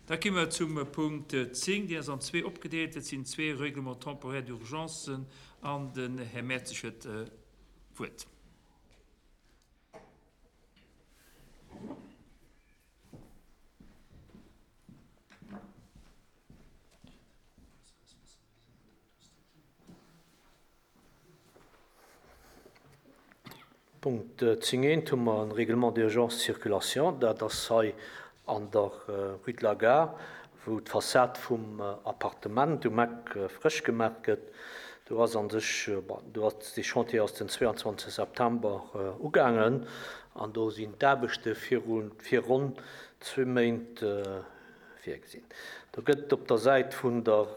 Da gi mer zum Punkt 10, deen ass an zwee opgedeelt. Dat sinn zwee Règlements temporaires d'urgence an den Här Mertzig huet d'Wuert. Punkt 10 eent hu mer e Règlement d'urgence circulation. Dat ass hei an der Rue de la Gare, wou d'Fassad vum Appartement um Eck frësch gemaach gëtt. Do ass a sech, bon, do ass dee Chantier ass den 22 September ugaangen an do sinn d'Aarbechte viru fir ronn zwee Méint virgesinn. Do gëtt op der Säit vun der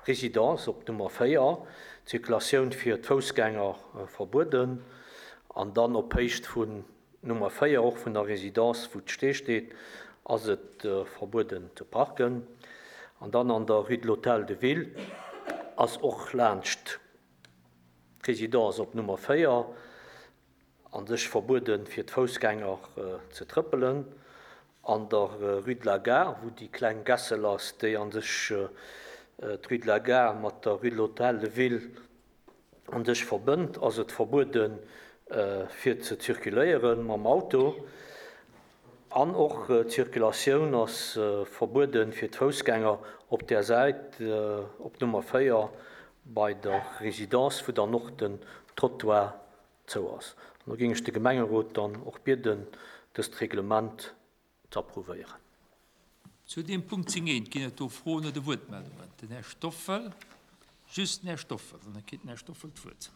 Résidence op Nummer 4 d'Circulatioun fir d'Foussgänger verbueden an dann op Héicht vun Nummer 4, och vun der Résidence, wou d'Stee steet, ass et verbueden ze parken. An dann an der Rue de l'Hôtel de Ville ass och laanscht d'Résidence op Nummer 4 A sech verbueden fir d'Foussgänger ze trëppelen. An der Rue de la Gare, wou déi kleng Gässel ass, déi a sech d'Rue de la Gare mat der Rue de l'Hôtel de Ville a sech verbënnt, ass et verbueden fir ze zirkuléieren mam Auto. An och d'Zirkulatioun ass verbueden fir d'Foussgänger op där Säit op Nummer 4 bei der Résidence, wou dann och den Trottoir zou ass. An do géing ech de Gemengerot dann och bieden, dëst Reglement ze approuvéieren. Zu deem Punkt 10 eent ginn et do Froen oder Wuertmeldungen. Den Här Stoffel, just den Här Stoffel, an da kritt den Här Stoffel d'Wuert.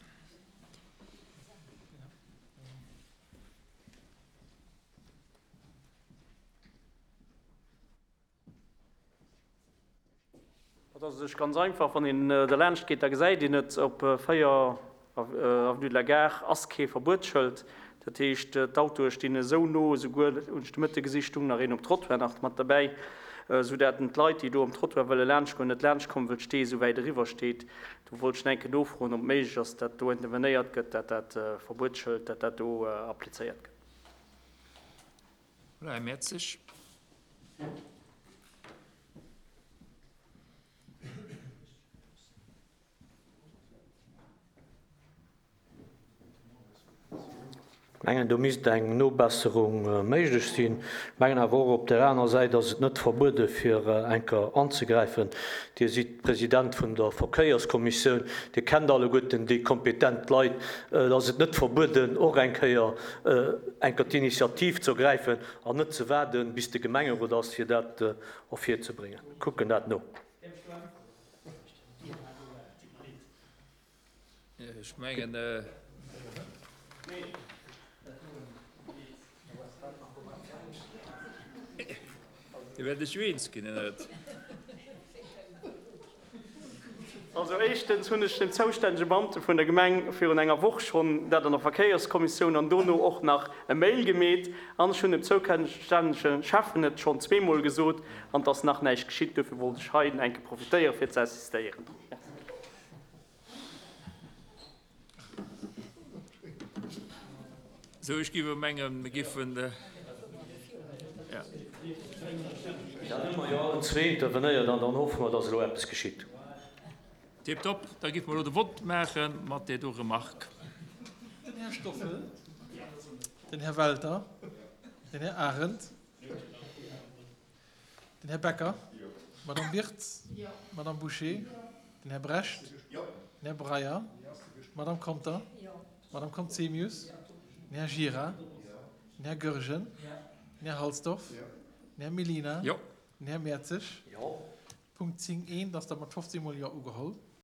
Dat ass u sech ganz einfach, Wann een derlaanscht geet, da gesäit een et, op 4 Avenue de la Gare ass kee Verbuetsschëld. Dat heescht, d'Autoe stinn esou no, esouguer, hunn ech de Mëtte gesi stung nach een um Trottoir nach mat derbäi, esou dat d'Leit, déi do um Trottoir wëlle laanschtgoen, net laanschtkommen, wëll d'Stee esou wäit eriwwer steet. Do wollt ech nach eng Kéier nofroen, ob et méiglech ass, dat do intervenéiert gëtt, dat dat Verbuetsschëld, dat dat do applizéiert gëtt. Voilà, Här Mertzig. Ech mengen, do misst eng Nobesserung méiglech sinn. Ech mengen awer och, op där aner Säit ass et net verbuede fir eng Kéier anzegräifen. Dir sidd President vun der Verkéierskommissioun, Dir kennt alleguerten déi kompetent Leit. Et ass et net verbueden, och eng Kéier eng Kéier d'Initiativ ze ergräifen an net ze waarden, bis de Gemengerot ass, fir dat ervirzebréngen. Kucken dat no. Ech mengen. Dir wäert lech jo eens ginn, net? Also éischtens hunn ech dem zoustännege Beamte vun der Gemeng virun enger Woch schonn dat an der Verkéierskommissioun an dono och nach e Mail gemeet. An ech hunn dem zoukännege Schäffen et schonn zweemol gesot an et ass nach näischt geschitt. Dofir wollt ech hei eng Kéier profitéiere fir ze insistéieren. Merci. Sou, ech géif mengen, mir géifen, ja. Dann hu mer jo allen zwee intervenéiert an dann hoffe mer, dass elo eppes geschitt. Tiptop, da géife mer elo de Vott maache mat där do Remarque. Den Här Stoffel, den Här Welter, den Här Arendt. Den Här Becker. D'Madame Birtz. D'Madame Bouché. Den Här Brecht. Den Här Breyer. D'Madame Conter. D'Madame Conzemius. Den Här Gira. Den Här Goergen. Den Här Halsdorf. Den Här Mellina. Den Här Mertzig. Punkt 10 eent ass da mat 15 mol Jo ugeholl.